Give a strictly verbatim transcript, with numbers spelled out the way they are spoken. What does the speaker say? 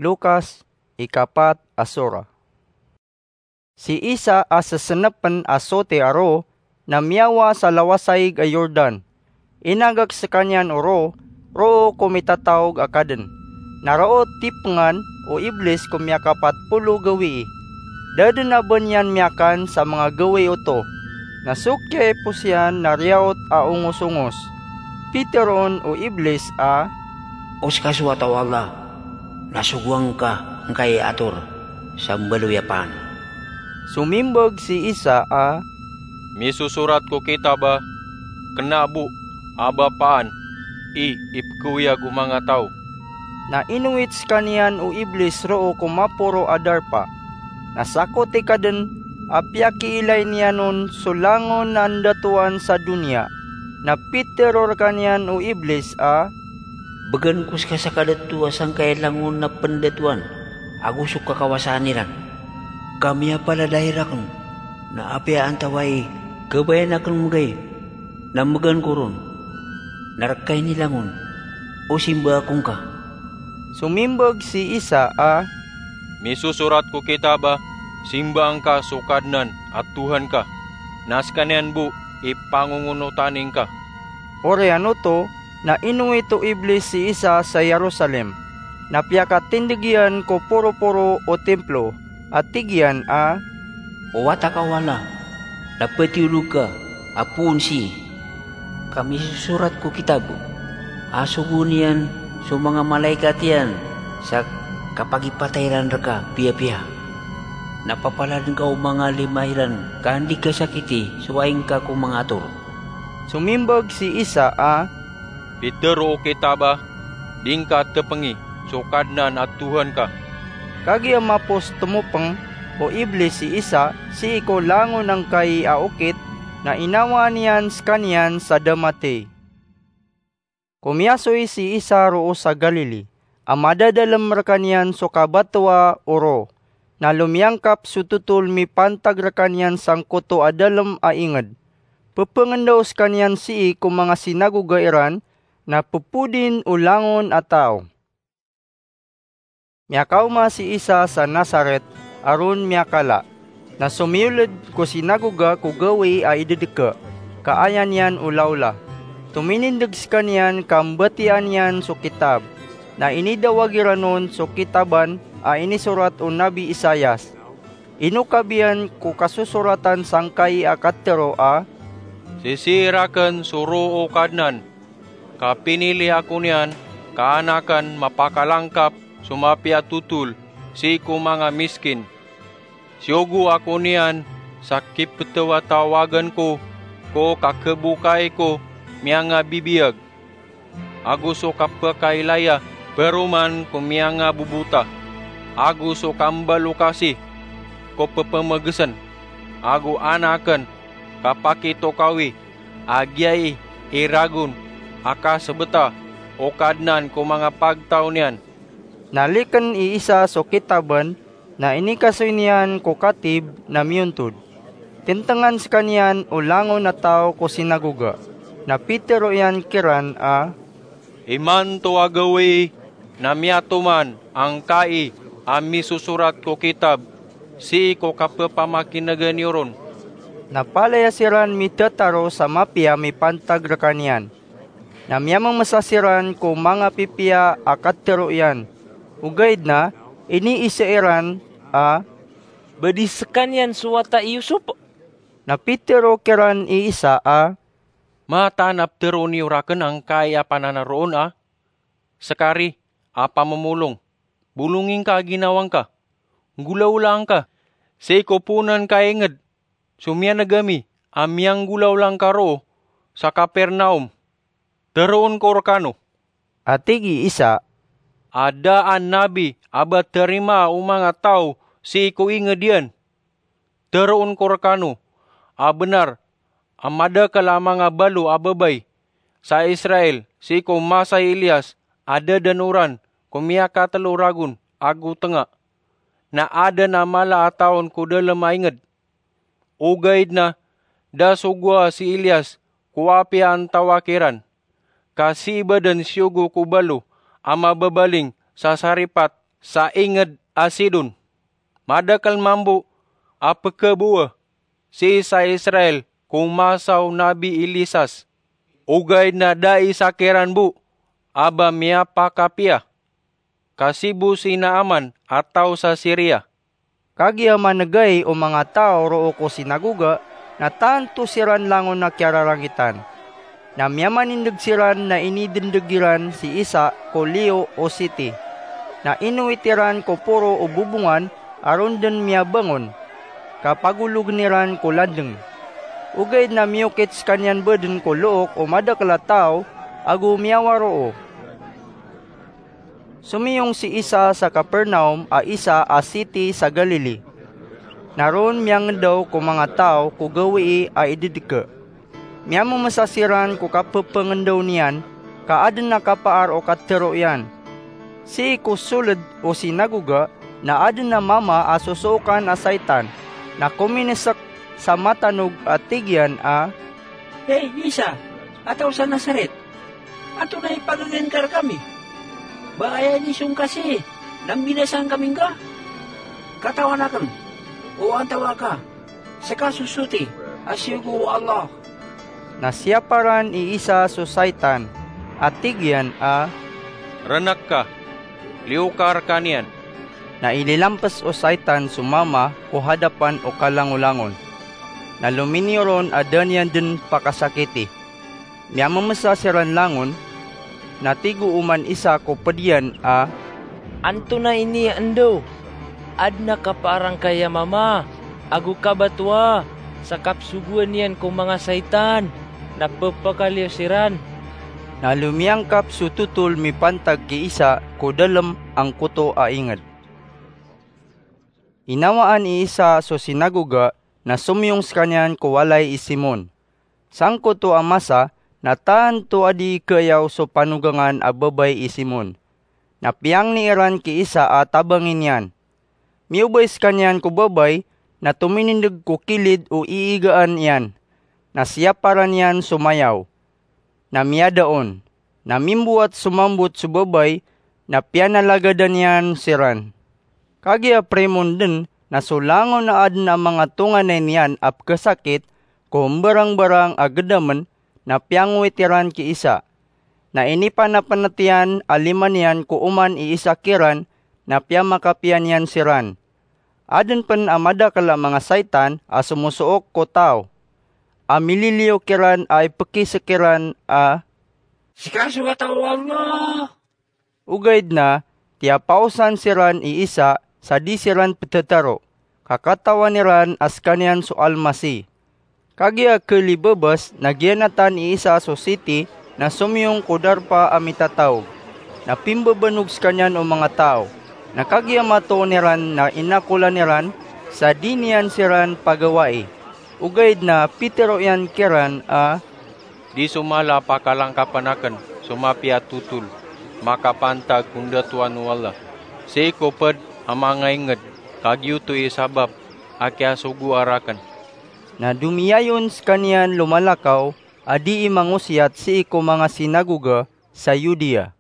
Lukas, ikapat a sura. Si Isa a sesenepen a soti a roo na miyawa sa lawasaig a Jordan. Inagak sekaniyan o roo, roo ko mitataog a kaden. Na roo tipengan o Iblis ko miyakapat polo gawii. Da den a ba niyan miyakan sa manga gawii oto. Na so kiyaipos iyan na riyaot a ongos-ongos. Piteroon o Iblis a, "O seka so wata o Allah, na sogoan ka ngkai a ator sa mbaloy a paan." Somimbag si Isa a, "Misosorat ko kitab a, kena bo a ba paan i ipekeoyag o manga taw." Na inowit sekaniyan o Iblis roo ko maporo a darpa. Na sakoti kaden a piyakiilay niyan on so langon a ndatoan sa doniya. Na pitero rekaniyan o Iblis a, "Began ko seka sa kadato a sangkai a langon a pendatoan ago so kakawasaan iran. Ka miyapalad a raken, na apiya antawaa i kebayan aken megay, na megan ko ron, na reka i nilangon, o simba ako ngka." Somimbag si Isa a, "Misosorat ko kitab a, simbaan ka so Kadnan a Tohan ka, na sekaniyan bo i pangongonotan ingka." Oriyan oto, na inowit o Iblis si Isa sa Jerusalem, na piyakatindeg iyan ko poroporo o timplo, a tig iyan a, "O wata ka o Allah, na petiolog ka a poon sii, ka misosorat ko kitab a sogoon iyan so manga malaikat iyan sa kapagipatay iran reka piyapiya. Na papaladen ka o manga lima iran ka andi kasakiti so aing ka ko manga ator." Somimbag si Isa a, "Pitero o kitab a, di ngka tepengi so Kadnan a Tohan ka." Kagiya mapos temopeng o Iblis si Isa sii ko langon angkai a okit, na inawaan iyan sekaniyan sa da matey. Komiyasoy si Isa roo sa Galili, a madadalem rekaniyan so kabatoa o roo. Na lomiyangkap so totol mipantag rekaniyan sangkoto a dalem a inged. Pepengendao sekaniyan sii ko manga sinagoga iran, na pepodin o langon a taw. Miyakaoma si Isa sa Nazaret, a ron miyakala. Na somiyoled ko sinagoga ko gawii a idedeka, ka aya niyan olaola. Tominindeg sekaniyan ka mbatiyaan iyan so kitab. Na inidawag iran on so kitaban a inisorat o Nabi Isaias. Inokab iyan ko kasosoratan sangkai a katero a, "Sisii raken so roo o Kadnan, ka pinili ako niyan ka anaken mapakalangkap so mapiya a totol sii ko manga miskin. Siyogo ako niyan sa kipetawatawagen ko ko kakebokai ko miyangabibiyag, ago so kapekailaya peroman ko miyangabobota, ago so kambalokasi ko pepemegesen, ago anaken kapakitokawi a giyai i ragon a kasebeta o Kadnan ko manga pagtaw niyan." Naliken i Isa so kitaban, na inikasoy niyan ko katib na miyontod. Tentengan sekaniyan o langon a taw ko sinagoga, na pitero iyan kiran a, "Imanto a gawii na miyatoman angkai a misosorat ko kitab sii ko kapepamakinegen iyo ron." Na palaya siran mitataro sa mapiya mipantag rekaniyan. Na miyamemesa siran ko manga pipiya a katero iyan. Ogaid na iniisa iran a, "Ba di sekaniyan so wata i Yusop?" Na pitero kiran i Isa a, "Mataan a peteroon iyo raken angkai a pananaroon a, 'Sekari a pamomolong, bolongi ngka a ginawa ngka. Nggolawlaa ngka sii ko poonan ka a inged so miyaneg ami a miyanggolawla ngka roo sa Kapernaum. Teroon ko rekano," a tig i Isa, "a da a nabi a ba tarimaa o manga taw sii ko inged iyan. Teroon ko rekano a benar a madakel a manga balo a babay sa Israel sii ko masa i Elias a da den oran ko miyakatelo ragon ago tenga, na aden a mala a taon ko dalem a inged. Ogaid na da sogoa si Elias ko apiya antawaa kiran, ka sii ba den siyogo ko balo a mababaling sa Sarepta sa inged a Sidon. Madakel mambo a pekabowa sii sa Israel ko masa o Nabi Elisas, ogaid na da isa kiran bo a ba miyapakapiya, ka sii bo si Naaman a taw sa Siria." Kagiya manegay o manga taw roo ko sinagoga, na tanto siran langon a kiyararangitan. Na miyamanindeg siran na inidendeg iran si Isa ko liyo o siti. Na inowit iran ko poro o bobongan a ron den miyabangon, ka pagologen iran ko landeng. Ogaid na miyokit sekaniyan baden ko look o madakel a taw ago miyawaroo. Somiyong si Isa sa Capernaum a isa a siti sa Galili. Na ron miyangendaw ko manga taw ko gawii a idedeke. Miyamemesa siran ko kapepengendaw niyan, ka aden a kapaar o katero iyan. Sii ko soled o sinagoga, na aden a mama a sosookan a saitan, na kominesek sa matanog a tig iyan a, "Hay Isa, a taw sa Nazaret, antonaa i pagegen ka rekami? Ba aya inisong ka sii na mbinasaan kami ngka? Katawan aken o antawaa ka, seka so soti a siyogo o Allah." Na siyaparan i Isa so saitan, a tig iyan a, "Renek ka, liyo ka rekaniyan." Na ililampes o saitan so mama ko hadapan o kalangolangon. Na lominiyo ron a da niyan den pakasakiti. Miyamemesa siran langon, na tig o oman isa ko ped iyan a, "Antonaa ini a endaw? Aden a kapaar angkaya mama ago kabatoa sa kapsogoan iyan ko manga saitan, na pepakaliyo siran." Na lomiyangkap so totol mipantag ki Isa ko dalem angkoto a inged. Inawaan i Isa so sinagoga na somiyong sekaniyan ko walay i Simon. Sangkoto a masa na tanto a dii keyaw so panogangan a babay i Simon. Na piyangni iran ki Isa a tabangi niyan. Miyobay sekaniyan ko babay na tominindeg ko kilid o iigaan iyan. Na siyaparan iyan so mayaw. Na miyada on. Na mimbowat so mambot so babay, na piyanalagadan iyan siran. Kagiya primon den na so langon a aden a manga tonganay niyan a pekesakit ko mbarangbarang a gedamen, na piyangowit iran ki Isa. Na inipanapenet iyan a lima niyan ko oman i Isa kiran, na piyamakapiya niyan siran. Aden pen a madakel a manga saitan a somosook ko taw, a mililiyo kiran a ipekisek iran a, "Seka so Wata o Allah." Ogaid na tiyapaosan siran i Isa sa di siran petetaro, ka katawan iran a sekaniyan so Almasih. Kagiya kelibebes na giyanatan i Isa so siti na somiyong ko darpa a mitataog. Na pimbebanog sekaniyan o manga taw. Na kagiya matoon iran na inakolan iran sa di niyan siran pagawai. Ogaid na pitero iyan kiran a, "Di so mala a pakalangkapen aken so mapiya a totol makapantag ko ndatoan o Allah. Sii ko ped a manga inged, ka giyoto i sabap a kiyasogoa raken." Na domiyayon sekaniyan lomalakaw a dii mangosiyat sii ko manga sinagoga sa Judea.